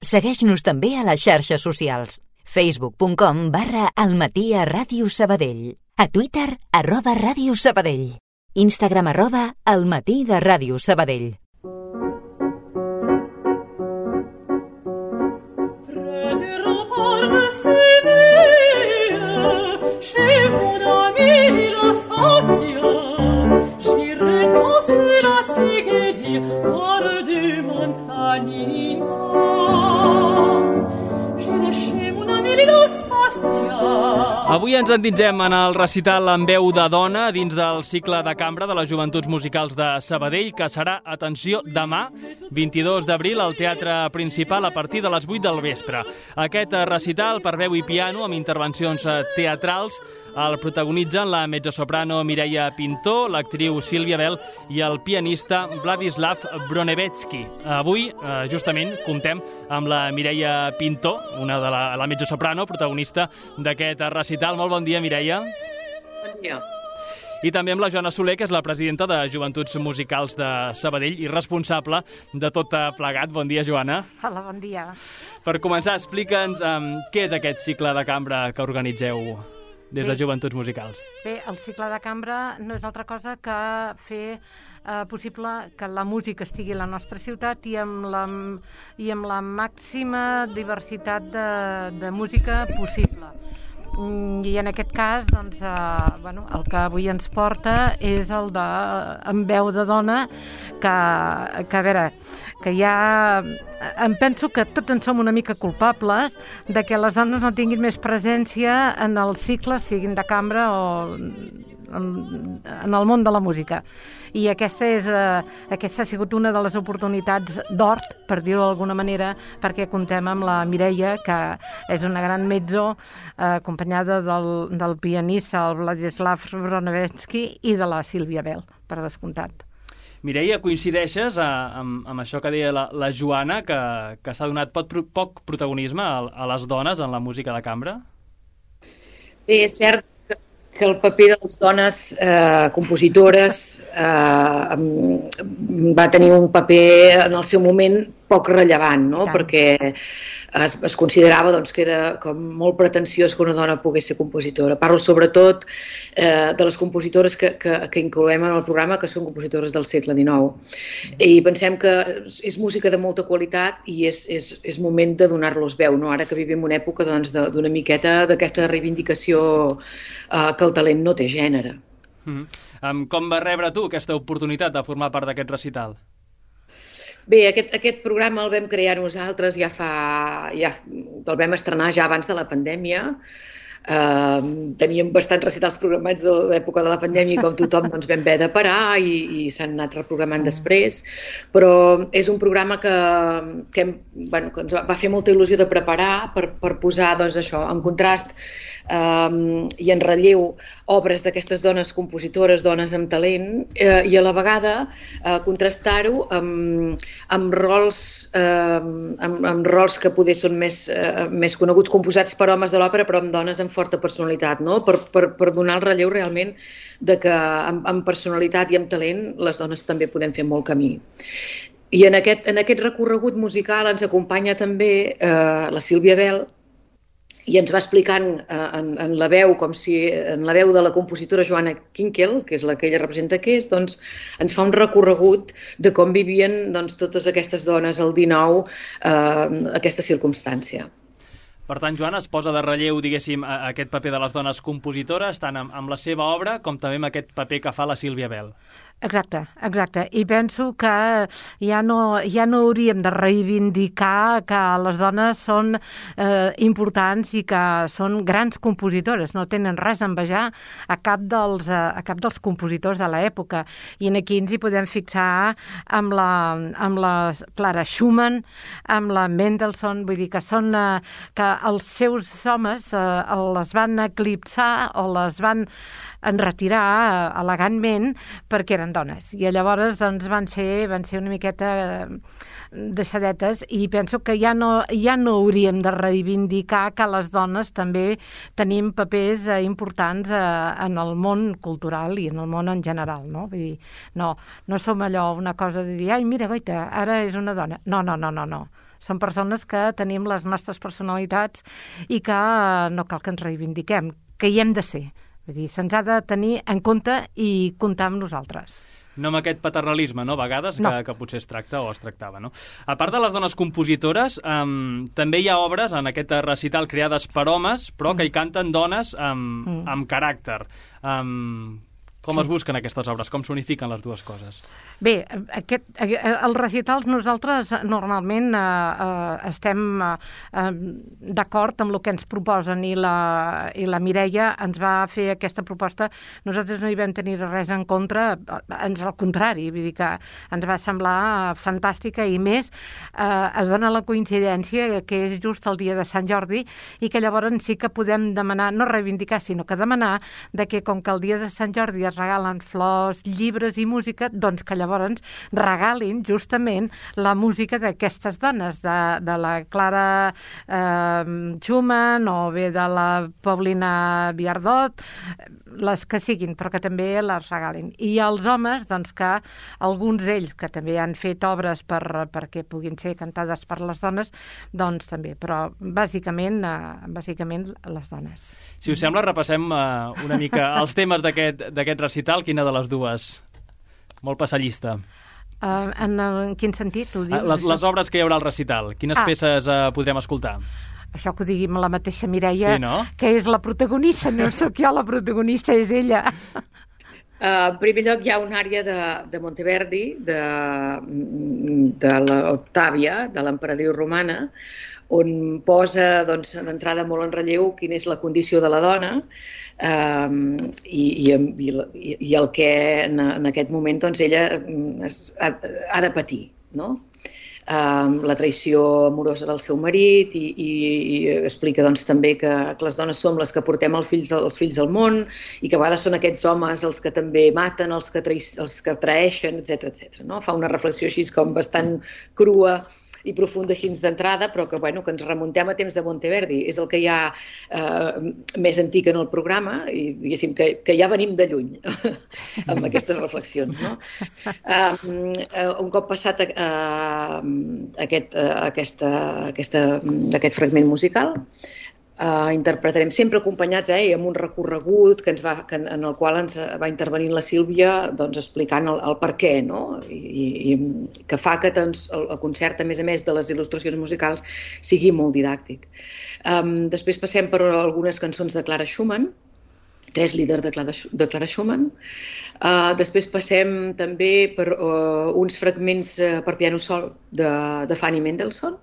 Segueix-nos també a les xarxes socials. facebook.com/almatí@radiosabadell. A Twitter, @radiosabadell. Instagram, @almatí de Ràdio Sabadell. Avui ens endinsem en el recital en veu de dona dins del cicle de cambra de les Joventuts Musicals de Sabadell, que serà, atenció, demà, 22 d'abril, al Teatre Principal a partir de les 8 del vespre. Aquest recital per veu i piano amb intervencions teatrals el protagonitzen la mezzosoprano Mireia Pintó, l'actriu Sílvia Bell i el pianista Vladislav Bronevetsky. Avui, justament, comptem amb la Mireia Pintó, una de la mezzosoprano, protagonista d'aquest recital. Molt bon dia, Mireia. Bon dia. I també amb la Joana Soler, que és la presidenta de Joventuts Musicals de Sabadell i responsable de tot plegat. Bon dia, Joana. Hola, bon dia. Per començar, explica'ns què és aquest cicle de cambra que organitzeu des de Joventuts Musicals. Bé, el cicle de cambra no és altra cosa que fer possible que la música estigui a la nostra ciutat i amb la màxima diversitat de música possible. I en aquest cas, doncs, el que avui ens porta és el de En veu de dona, que a veure, que ja em penso que tots en som una mica culpables de que les dones no tinguin més presència en els cicles, siguin de cambra o en el món de la música. I aquesta ha sigut una de les oportunitats d'or, per dir-ho d'alguna manera, perquè contem amb la Mireia, que és una gran mezzo, acompanyada del pianista, el Vladislav Bronevetsky, i de la Sílvia Bell, per descomptat. Mireia, coincideixes amb això que deia la Joana, que s'ha donat poc protagonisme a les dones en la música de cambra? Bé, és cert que el paper de les dones compositores va tenir un paper en el seu moment poc rellevant, no? Perquè es considerava doncs, que era com molt pretensiós que una dona pogués ser compositora. Parlo sobretot de les compositores que incloem en el programa, que són compositores del segle XIX. I pensem que és música de molta qualitat i és moment de donar-los veu, no? Ara que vivim una època doncs, d'una miqueta d'aquesta reivindicació que el talent no té gènere. Com vas rebre tu aquesta oportunitat de formar part d'aquest recital? Bé, aquest programa el vam crear nosaltres, el vam estrenar ja abans de la pandèmia. Teníem bastants recitals programats a l'època de la pandèmia i com tothom doncs, vam haver de parar i s'han anat reprogramant després, però és un programa que ens va fer molta il·lusió de preparar per posar doncs, això en contrast i en relleu obres d'aquestes dones compositores, dones amb talent, i a la vegada contrastar-ho amb rols que poder són més coneguts, composats per homes de l'òpera, però amb dones amb forta personalitat, no? Per donar el relleu realment de que amb personalitat i amb talent les dones també podem fer molt camí. I en aquest recorregut musical ens acompanya també la Sílvia Bell, i ens va explicant en la veu, com si en la veu de la compositora Joana Kinkel, que és la que ella representa que és, doncs ens fa un recorregut de com vivien doncs, totes aquestes dones al XIX aquesta circumstància. Per tant, Joana, es posa de relleu, diguéssim, aquest paper de les dones compositores, tant amb la seva obra com també amb aquest paper que fa la Sílvia Bell. Exacte. I penso que ja no hauríem de reivindicar que les dones són importants i que són grans compositores. No tenen res a envejar a cap dels compositors de l'època. I aquí ens hi podem fixar amb la Clara Schumann, amb la Mendelssohn, vull dir que són que els seus homes les van eclipsar o les van enretirar elegantment perquè eren dones. I llavors doncs, van ser una miqueta deixadetes i penso que ja no hauríem de reivindicar que les dones també tenim papers importants en el món cultural i en el món en general, no? Vull dir, no som allò una cosa de dir, ai, mira, goita, ara és una dona. No. Són persones que tenim les nostres personalitats i que no cal que ens reivindiquem, que hi hem de ser. Vull dir, se'ns ha de tenir en compte i comptar amb nosaltres. No amb aquest paternalisme, no?, a vegades, no. que potser es tracta o es tractava, no? A part de les dones compositores, també hi ha obres en aquest recital creades per homes, però que hi canten dones amb caràcter. Com es busquen aquestes obres? Com s'unifiquen les dues coses? Bé, els recitals nosaltres normalment estem d'acord amb el que ens proposen i la Mireia ens va fer aquesta proposta. Nosaltres no hi vam tenir res en contra, ans al contrari, vull dir que ens va semblar fantàstica i més es dona la coincidència que és just el dia de Sant Jordi i que llavors sí que podem demanar, no reivindicar, sinó que demanar de que com que el dia de Sant Jordi es regalen flors, llibres i música, doncs que llavors regalin justament la música d'aquestes dones, de la Clara Schumann o bé de la Paulina Viardot, les que siguin, però que també les regalin. I els homes, doncs que alguns d'ells que també han fet obres perquè puguin ser cantades per les dones, doncs també, però bàsicament les dones. Si us sembla, repassem una mica els temes d'aquest recital. Quina de les dues? Molt passallista. En quin sentit ho dius? Les obres que hi haurà al recital. Quines peces podrem escoltar? Això que ho digui la mateixa Mireia, sí, no? Que és la protagonista, no sóc jo la protagonista, és ella. En primer lloc hi ha una àrea de Monteverdi, de l'Octàvia, de l'emperadriu romana, on posa d'entrada molt en relleu quina és la condició de la dona i el que en aquest moment ella ha de patir, no? La traïció amorosa del seu marit i explica també que les dones som les que portem els fills al món i que a vegades són aquests homes els que també maten, els que traeixen, etc. No? Fa una reflexió així com bastant crua i profunda així d'entrada, però que ens remuntem a temps de Monteverdi. És el que hi ha més antic en el programa i diguéssim que ja venim de lluny amb aquestes reflexions. No? Un cop passat aquest fragment musical, interpretarem sempre acompanyats amb un recorregut en el qual ens va intervenint la Sílvia explicant el per què, no? I que fa que el concert, a més de les il·lustracions musicals, sigui molt didàctic. Després passem per algunes cançons de Clara Schumann, 3 líders de Clara Schumann. Després passem també per uns fragments per piano sol de Fanny Mendelssohn.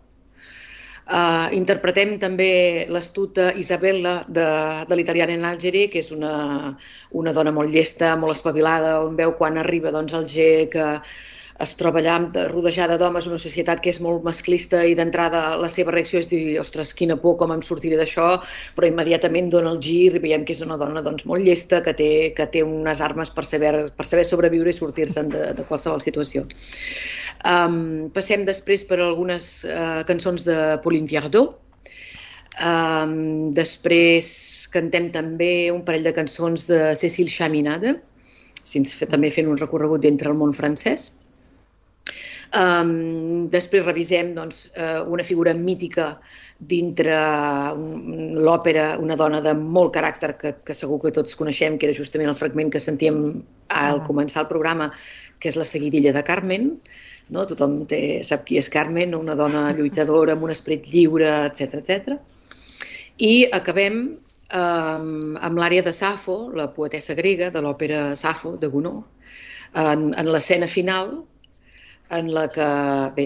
Interpretem també l'astuta Isabella de l'italiana Algeri, que és una dona molt llesta, molt espavilada, on veu quan arriba Alger que es troba allà rodejada d'homes, una societat que és molt masclista i d'entrada la seva reacció és dir, ostres, quina por, com em sortiré d'això, però immediatament dona el gir i veiem que és una dona molt llesta, que té unes armes per saber sobreviure i sortir-se'n de qualsevol situació. Passem després per algunes cançons de Pauline Viardot. Després cantem també un parell de cançons de Cécile Chaminade, també fent un recorregut dintre el món francès. Després revisem una figura mítica dintre l'òpera, una dona de molt caràcter que segur que tots coneixem, que era justament el fragment que sentíem al començar el programa, que és la seguidilla de Carmen. No? Tothom sap qui és Carmen, una dona lluitadora amb un esperit lliure, etc. I acabem amb l'àrea de Safo, la poetessa grega de l'òpera Safo de Gounod, en l'escena final, en la que, bé,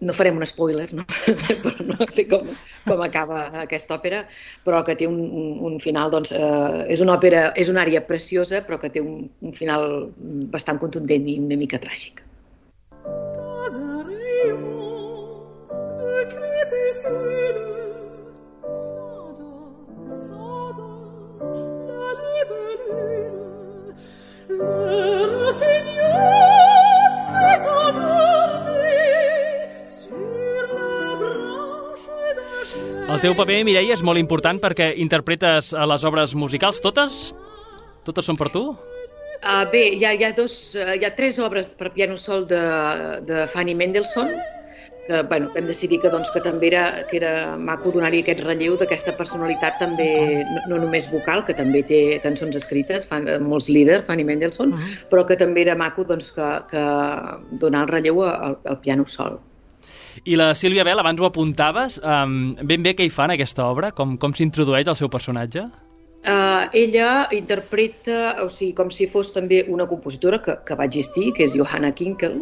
no farem un spoiler, no? Però no sé com acaba aquesta òpera, però que té un final, és una òpera, és una àrea preciosa, però que té un final bastant contundent i una mica tràgic. El teu paper, Mireia, és molt important perquè interpretes les obres musicals. Totes? Totes són per tu? Bé, hi ha 3 obres per piano sol de Fanny Mendelssohn, vam decidir que també era maco donar-hi aquest relleu d'aquesta personalitat també, no només vocal, que també té cançons escrites, molts líders, Fanny Mendelssohn, però que també era maco que donar el relleu al piano sol. I la Sílvia Bel, abans ho apuntaves, ben bé què hi fa en aquesta obra? Com s'introdueix el seu personatge? Ella interpreta, com si fos també una compositora que va existir, que és Johanna Kinkel,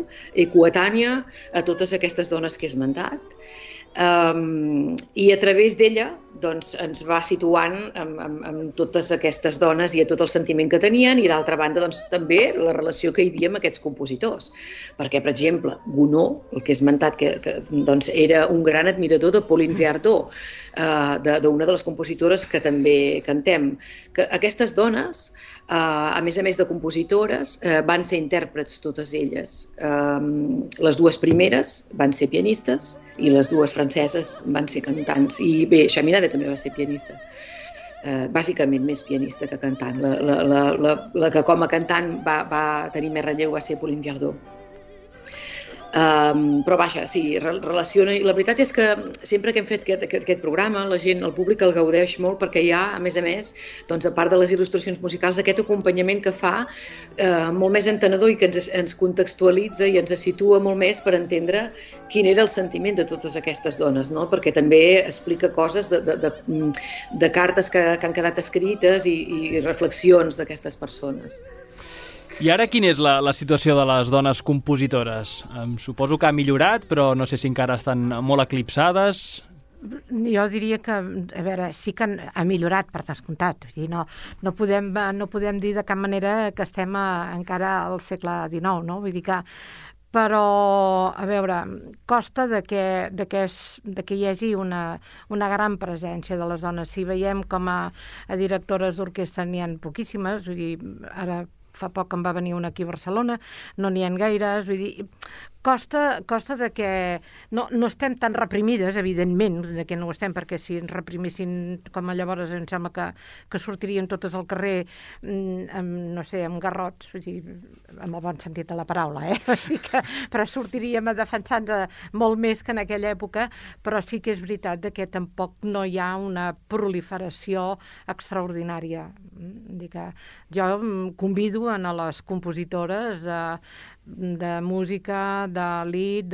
coetània a totes aquestes dones que he esmentat, i a través d'ella ens va situant amb totes aquestes dones i a tot el sentiment que tenien, i d'altra banda també la relació que hi havia amb aquests compositors, perquè per exemple Gounod, el que he esmentat, que era un gran admirador de Pauline Viardot, d'una de les compositores que també cantem, que aquestes dones, a més de compositores, van ser intèrprets totes elles. Les dues primeres van ser pianistes i les dues franceses van ser cantants. I bé, Chaminade també va ser pianista. Bàsicament més pianista que cantant. La que com a cantant va tenir més relleu va ser Pauline Viardot. Però vaja, sí, relaciona, i la veritat és que sempre que hem fet aquest programa, la gent, el públic el gaudeix molt, perquè hi ha, a més, a part de les il·lustracions musicals, aquest acompanyament que fa molt més entenedor i que ens contextualitza i ens situa molt més per entendre quin era el sentiment de totes aquestes dones, no? Perquè també explica coses de cartes que han quedat escrites i reflexions d'aquestes persones. I ara quina és la situació de les dones compositores? Suposo que ha millorat, però no sé si encara estan molt eclipsades. Jo diria que, a veure, sí que ha millorat, per descomptat. No podem dir de cap manera que estem encara al segle XIX, no? Vull dir que... Però, a veure, costa que hi hagi una gran presència de les dones. Si veiem com a directores d'orquestra n'hi ha poquíssimes, vull dir, ara fa poc em va venir una aquí a Barcelona, no n'hi ha gaires, vull dir, costa de que no estem tan reprimides, evidentment, de que no ho estem, perquè si ens reprimissin com a llavors em sembla que sortirien totes al carrer amb garrots, vull dir, amb el bon sentit de la paraula, però sortiríem a defensar-nos molt més que en aquella època, però sí que és veritat que tampoc no hi ha una proliferació extraordinària. Jo convido a les compositores de música, de lied,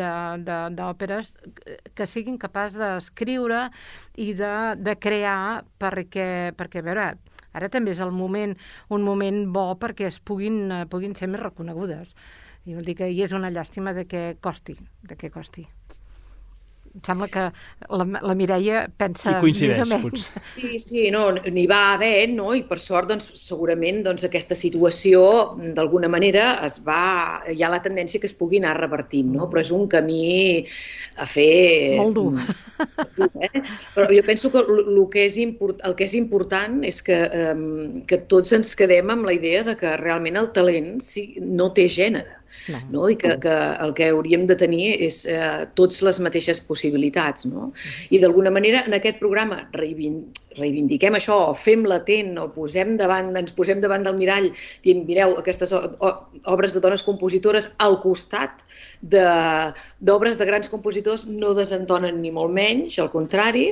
d'òperes, que siguin capaços d'escriure i de crear, perquè a veure, ara també és un moment bo perquè puguin ser més reconegudes. I vol dir que és una llàstima que costi. Em sembla que la Mireia pensa més o menys. Sí, n'hi va haver, no? I per sort, segurament, aquesta situació, d'alguna manera, hi ha la tendència que es pugui anar revertint, no? Però és un camí a fer... Molt dur. Però jo penso que el que és important és que tots ens quedem amb la idea de que realment el talent no té gènere. No? I que el que hauríem de tenir és tots les mateixes possibilitats, no? I d'alguna manera en aquest programa reivindiquem això, o fem latent, o ens posem davant del mirall dient, mireu, aquestes obres de dones compositores al costat d'obres de grans compositors no desentonen ni molt menys, al contrari,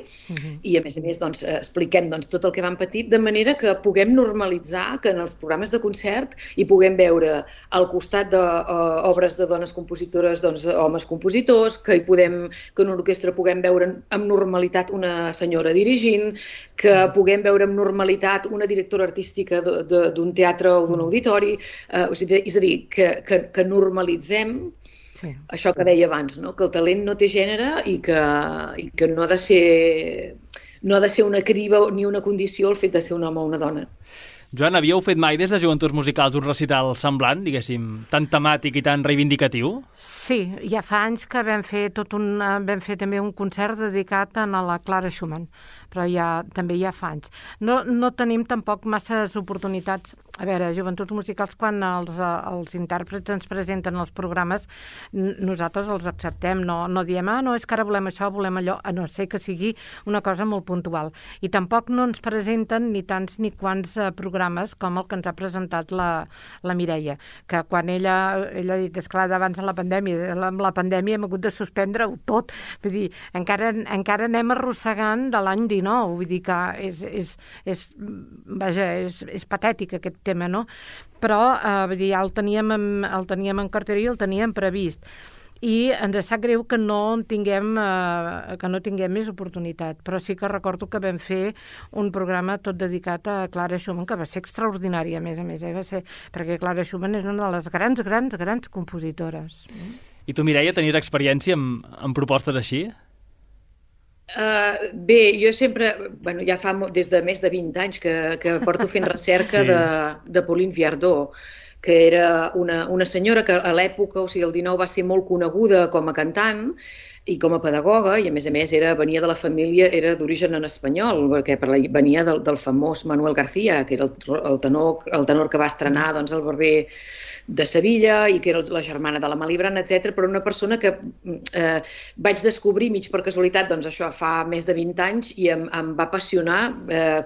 i a més expliquem tot el que van patir, de manera que puguem normalitzar que en els programes de concert hi puguem veure al costat d'obres de dones compositores, homes compositors, que en una orquestra puguem veure amb normalitat una senyora dirigint, que puguem veure amb normalitat una directora artística d'un teatre o d'un auditori, és a dir, que normalitzem això que deia abans, no? Que el talent no té gènere i que no ha de ser una criba ni una condició el fet de ser un home o una dona. Joan, havíeu fet mai des de Joventuts Musicals un recital semblant, diguéssim, tan temàtic i tan reivindicatiu? Sí, ja fa anys que vam fer també un concert dedicat a la Clara Schumann, però també ja fa anys. No tenim tampoc masses oportunitats. A veure, Joventuts Musicals, quan els intèrprets ens presenten els programes, nosaltres els acceptem, no diem, no, és que ara volem això, volem allò, a no ser que sigui una cosa molt puntual. I tampoc no ens presenten ni tants ni quants programes com el que ens ha presentat la Mireia, que quan ella ha dit, esclar, abans de la pandèmia, amb la pandèmia hem hagut de suspendre-ho tot, vull dir, encara anem arrossegant de l'any 19, vull dir que és patètic aquest tema, no? Però vull dir, ja el teníem en cartera i el teníem previst. I ens sap greu que no tinguem més oportunitat, però sí que recordo que vam fer un programa tot dedicat a Clara Schumann, que va ser extraordinari, a més, va ser, perquè Clara Schumann és una de les grans compositores. I tu, Mireia, tenies experiència amb propostes així? Bé, jo sempre, ja fa des de més de 20 anys que porto fent recerca de Pauline Viardot, que era una senyora que a l'època, o sigui, el 19 va ser molt coneguda com a cantant i com a pedagoga, i a més venia de la família, era d'origen en espanyol, perquè venia del famós Manuel García, que era el tenor que va estrenar el Barber de Sevilla i que era la germana de la Malibran, etc. Però una persona que vaig descobrir mig per casualitat, això fa més de 20 anys, i em va apassionar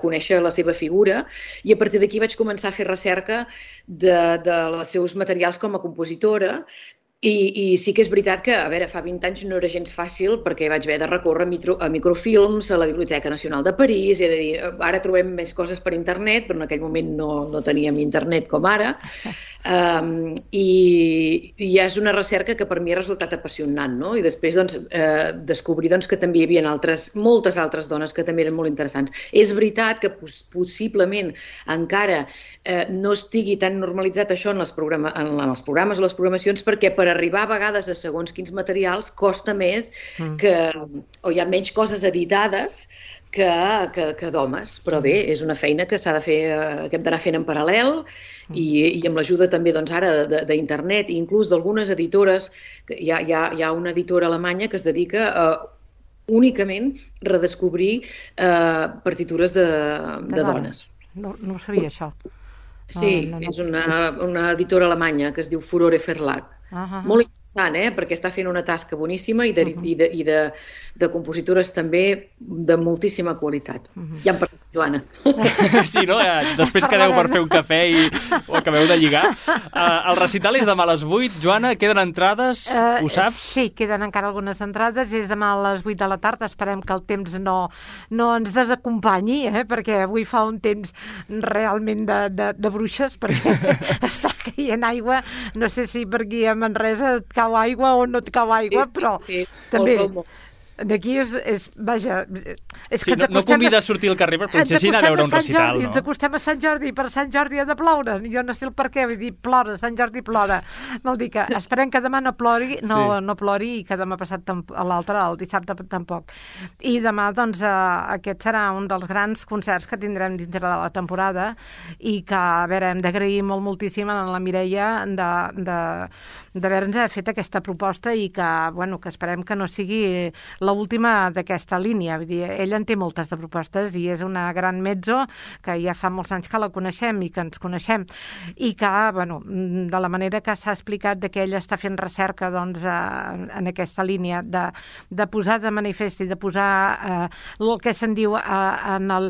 conèixer la seva figura, i a partir d'aquí vaig començar a fer recerca dels seus materials com a compositora. I sí que és veritat que, a veure, fa 20 anys no era gens fàcil, perquè vaig haver de recórrer a microfilms, a la Biblioteca Nacional de París, és a dir, ara trobem més coses per internet, però en aquell moment no teníem internet com ara, i ja és una recerca que per mi ha resultat apassionant, no? I després descobrir que també hi havia moltes altres dones que també eren molt interessants. És veritat que possiblement encara no estigui tan normalitzat això en els programes o les programacions, perquè per arribar a vegades a segons quins materials costa més o hi ha menys coses editades que d'homes, però bé, és una feina que s'ha de fer, que hem d'anar fent en paral·lel, i amb l'ajuda també ara d'internet, i inclús d'algunes editores, hi ha una editora alemanya que es dedica a únicament redescobrir partitures de dones. No ho sabia, això. Sí, és una editora alemanya que es diu Furore Verlag. Molt interessant, perquè està fent una tasca boníssima i de compositores també de moltíssima qualitat. Ja em parlem, Joana. Sí, no? Després quedeu per fer un cafè i ho acabeu de lligar. El recital és demà a les 8. Joana, queden entrades? Ho saps? Sí, queden encara algunes entrades. És demà a les 8 de la tarda. Esperem que el temps no ens desacompanyi, perquè avui fa un temps realment de bruixes, perquè està caient aigua. No sé si per aquí a Manresa et cau aigua o no et cau aigua, però també... D'aquí és que no convida a sortir al carrer per potser anar a veure un recital, no? Ens acostem a Sant Jordi, per Sant Jordi ha de ploure, jo no sé el per què, vull dir, plora, Sant Jordi plora, vol dir que esperem que demà no plori, no plori, i que demà passat a l'altre, el dissabte tampoc. I demà, aquest serà un dels grans concerts que tindrem dintre de la temporada, i que, a veure, hem d'agrair moltíssim a la Mireia d'haver-nos fet aquesta proposta, i que esperem que no sigui l'última d'aquesta línia. Vull dir, ella en té moltes de propostes i és una gran mezzo que ja fa molts anys que la coneixem i que ens coneixem, i que, de la manera que s'ha explicat que ella està fent recerca en aquesta línia de posar de manifest i de posar el que se'n diu en el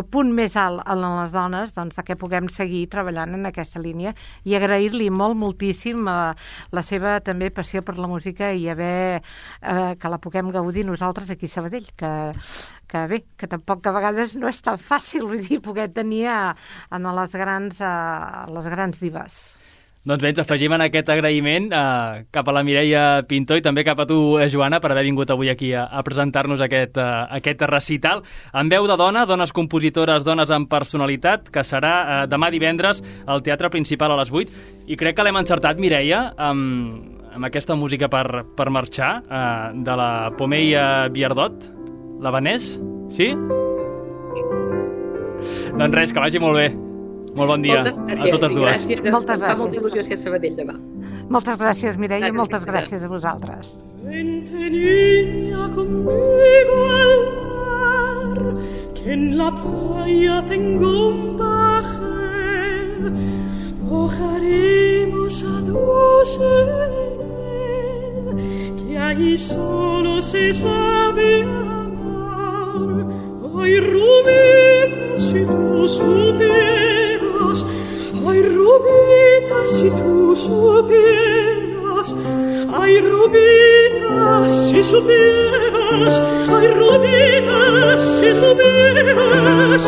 punt més alt en les dones, que puguem seguir treballant en aquesta línia, i agrair-li moltíssim la seva també passió per la música i que la puguem gaudir nosaltres aquí a Sabadell, que bé, que tampoc a vegades no és tan fàcil, vull dir, poder tenir en les grans divas. Doncs bé, ens afegim en aquest agraïment cap a la Mireia Pintó i també cap a tu, Joana, per haver vingut avui aquí a presentar-nos aquest recital amb veu de dona, dones compositores, dones amb personalitat, que serà demà divendres al Teatre Principal a les 8. I crec que l'hem encertat, Mireia, amb aquesta música per marxar, de la Pomeia Viardot, l'Havanès, sí? Doncs res, que vagi molt bé. Molt bon dia a totes dues. Gràcies. Moltes gràcies. Fa molta il·lusió ser a Sabadell demà. Moltes gràcies, Mireia, i moltes gràcies a vosaltres. Vente niña conmigo al mar, que en la playa tengo un paje Ojaremos a dos que ahí solo se sabe amar. Ay, Rubita, si tú supieras, ay, Rubita, si tú supieras, ay, Rubita, si supieras, ay, Rubita, si supieras.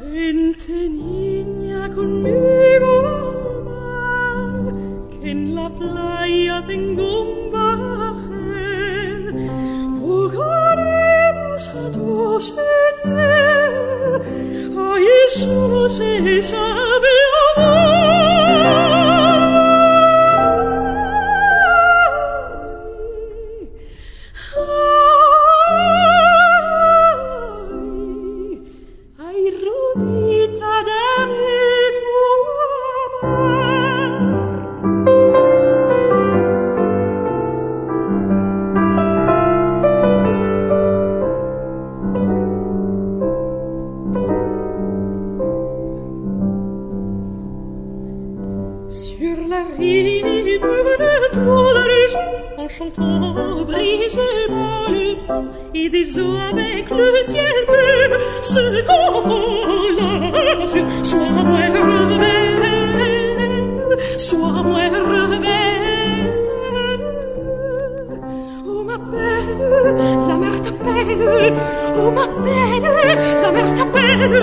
Vente, niña, conmigo al mar, que en la playa tengo un bajel. Jugaremos a dos en él, ahí solo se sabe amar. Ay, Rubita, dame tu amor. Sur la rive de flot de région, en chantant brisément le pont, et des eaux avec le ciel bleu se confondent sur. Sois moins rebelle, sois moins rebelle. Oh ma belle, la mer t'appelle. Oh ma belle, la mer t'appelle.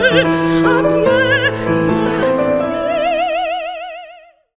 À pied.